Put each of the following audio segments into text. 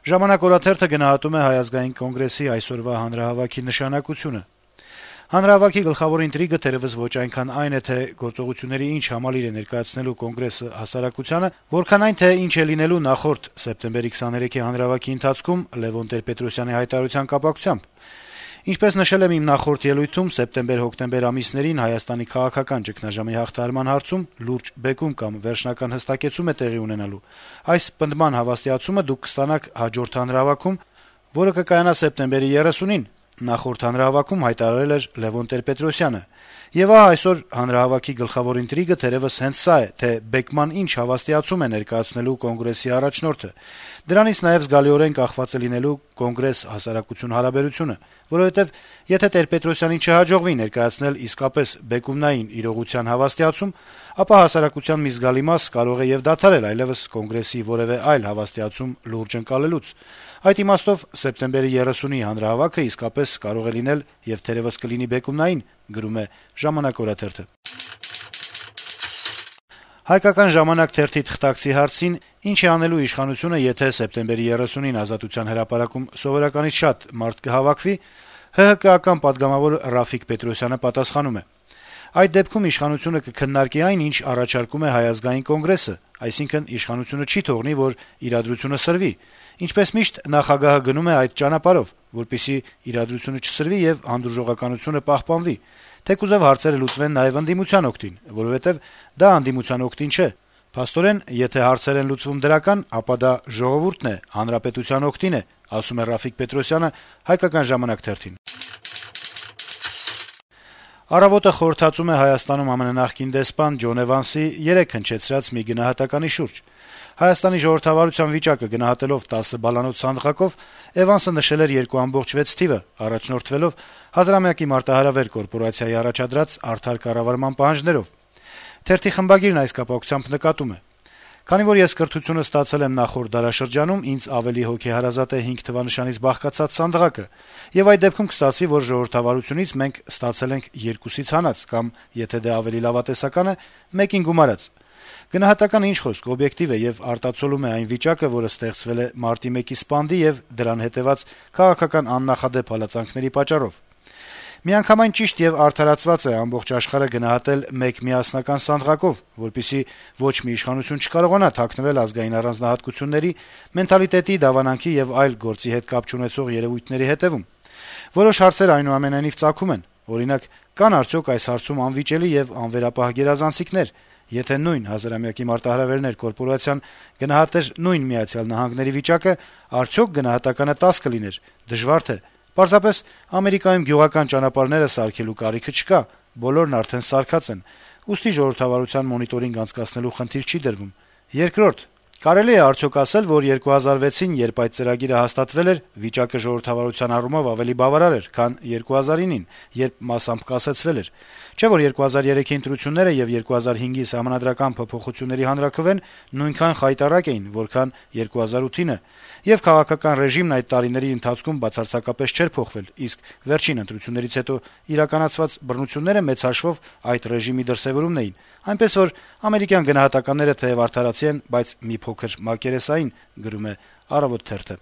«Ժամանակ» օրաթերթը գնահատում է Հայ ազգային կոնգրեսի այսօրվա հանրահավաքի նշանակությունը. - «Հանրահավաքի գլխավոր ինտրիգը թերեւս ոչ այնքան այն է, թե գործողությունների ինչ համալիր է ներկայացնելու Կոնգրեսը հասարակությանը, որքան այն, թե ինչ է լինելու նախորդ սեպտեմբերի 23-ի հանրահավաքի ընթացքում Լեւոն Տեր-Պետրոսյանի հայտարարության կապակցությամբ։ Ինչպես նշել եմ իմ նախորդ ելույթում, սեպտեմբեր-հոկտեմբեր ամիսներին Հայաստանի քաղաքական ճգնաժամի հաղթահարման հարցում լուրջ բեկում կամ վերջնական հստակեցում է տեղի ունենալու։ Այս պնդման հավաստիացումը դուք կստանաք հաջորդ հանրահավաքում, որը կկայանա սեպտեմբերի 30-ին, նախորդ հանրահավաքում հայտարարել էր Լեւոն Տեր-Պետրոսյանը։ Եվ ահա այսօր հանրահավաքի գլխավոր ինտրիգը թերեւս հենց սա է, թե բեկման ինչ հավաստիացում է ներկայացնելու Կոնգրեսի առաջնորդը։ Դրանից նաեւ զգալիորեն կախված է լինելու Կոնգրես-հասարակություն հարաբերությունը, որովհետեւ եթե Տեր-Պետրոսյանին չհաջողվի ներկայացնել իսկապես բեկումնային իրողության հավաստիացում, ապա հասարակության մի զգալի մաս կարող է եւ դադարել այլեւս Կոնգրեսի որեւէ այլ հավաստիացում լուրջ ընկալելուց։ Այդ իմաստով սեպտեմբերի 30-ի հանրահավաքը իսկապես կարող է լինել եւ թերեւս կլինի բեկումնային», գրում է «Ժամանակ» օրաթերթը։ «Հայկական ժամանակ» թերթի թղթակցի հարցին, ինչ է անելու իշխանությունը, եթե սեպտեմբերի 30-ին Ազատության հրապարակում սովորականից շատ մարդ կհավաքվի, ՀՀԿ-ական պատգամավոր Ռաֆիկ Պետրոսյանը պատասխանում է. - «Այդ դեպքում իշխանությունը կքննարկի այն, ինչ առաջարկում է Հայ ազգային կոնգրեսը, այսինքն իշխանությունը չի թողնի, որ իրադրությունը սրվի։ Ինչպես միշտ, նախագահը գնում է այդ ճանապարհով, որպեսզի իրադրությունը չսրվի եւ հանդուրժողականությունը պահպանվի, թեկուզեւ հարցերը լուծվեն նաեւ ընդդիմության օգտին, որովհետեւ դա ընդդիմության օգտին չէ։ Փաստորեն, եթե հարցեր են լուծվում դրական, ապա դա ժողովուրդն է, հանրապետության օգտին է», ասում է Ռաֆիկ Պետրոսյանը «Հայկական ժամանակ» թերթին։ «Առավոտ»-ը խորհրդածում է Հայաստանում ԱՄՆ նախկին դեսպան Ջոն Էվանսի 3 հնչեցրած մի գնահատականի շուրջ։ Հայաստանի ժողովրդավարության վիճակը գնահատելով 10 բալանոց սանդղակով Էվանսը նշել էր 2.6 թիվը, առաջնորդվելով Հազարամյակի մարտահրավեր կորպորացիայի առաջադրած արդար կառավարման պահանջներով։ Թերթի խմբագիրն այս կապակցությամբ նկատում է. - «Քանի որ ես կրթությունը ստացել եմ նախորդ դարաշրջանում, ինձ ավելի հոգեհարազատ է 5 թվանշանից բաղկացած սանդղակը, եւ այդ դեպքում կստացվի, որ ժողովրդավարությունից մենք ստացել ենք 2-ից հանած կամ, եթե դե ավելի լավատեսական է, 1-ին գումարած։ Գնահատականը ինչ խոսք, օբյեկտիվ է եւ արտացոլում է այն վիճակը, որը ստեղծվել է մարտի 1-ի սպանդի եւ դրան հետեւած քաղաքական աննախադեպ հալածանքների պատճառով։ Միանգամայն ճիշտ եւ արդարացված է ամբողջ աշխարհը գնահատել մեկ միասնական սանդղակով, որպեսզի ոչ մի իշխանություն չկարողանա թաքնվել ազգային առանձնահատկությունների, մենթալիտետի, դավանանքի եւ այլ գործի հետ կապ չունեցող երեւույթների հետեւում։ Որոշ հարցեր այնուամենայնիվ ծագում են, օրինակ, կան արդյոք այս հարցում անվիճելի եւ անվերապահ գերազանցիկներ։ Եթե նույն Հազարամյակի մարտահրավերներ կորպորացիան գնահատեր նույն Միացյալ Նահանգների վիճակը, արդյոք գնահատականը 10 կլիներ։ Դժվար թե։ Պարզապես Ամերիկայում գյուղական ճանապարհները սարքելու կարիքը չկա, բոլորն արդեն սարքած են, ուստի ժողովրդավարության մոնիտորինգ անցկացնելու խնդիր չի դրվում։ Երկրորդ, կարելի է արդյոք ասել, որ 2006-ին, երբ այդ ծրագիրը հաստատվել էր, վիճակը ժողովրդավարության առումով ավելի բավարար էր, քան 2009-ին, երբ մասամբ կասեցվել էր։ Չէ՞ որ 2003-ի ընտրությունները եւ 2005-ի սահմանադրական փոփոխությունների հանրաքվեն նույնքան խայտառակ էին, որքան 2008-ը, եւ քաղաքական ռեժիմն այդ տարիների ընթացքում բացարձակապես չէր փոխվել, իսկ վերջին ընտրություններից հետո իրականացված բռնությունները մեծ հաշվով այդ ռեժիմի դրսեւորումն էին, այնպես որ ամերիկյան գնահատականները թեև արդարացի են, բայց մի փոքր մակերեսային», գրում է «Առավոտ» թերթը։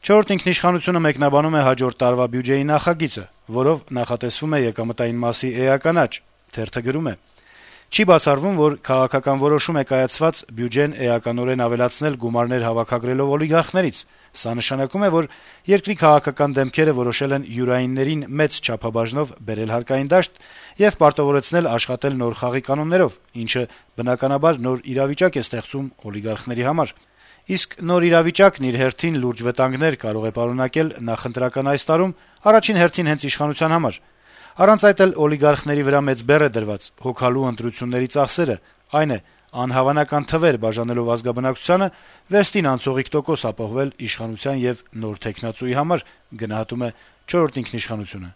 «Չորրորդ ինքնիշխանությունը» մեկնաբանում է հաջորդ տարվա բյուջեի նախագիծը, որով նախատեսվում է եկամտային մասի էական աճ։ Թերթը գրում է. - «Չի բացառվում, որ քաղաքական որոշում է կայացված բյուջեն էականորեն ավելացնել գումարներ հավաքագրելով օլիգարխներից։ Սա նշանակում է, որ երկրի քաղաքական դեմքերը որոշել են յուրայիններին մեծ չափաբաժնով բերել հարկային դաշտ եւ պարտավորեցնել աշխատել նոր խաղի կանոններով, ինչը բնականաբար նոր իրավիճակ է ստեղծում օլիգարխների համար։ Իսկ նոր իրավիճակն իր հերթին լուրջ վտանգներ կարող է պարունակել նախընտրական այս տարում, առաջին հերթին հենց իշխանության համար։ Առանց այդ էլ օլիգարխների վրա մեծ բեռ է դրված հոգալու ընտրությունների ծախսերը, այն է, անհավանական թվեր բաժանելով ազգաբնակչությանը վեստին անցողիկ տոկոս ապահովել իշխանության եւ նոր թեկնածուի համար», գնահատում է «Չորրորդ ինքնիշխանությունը»։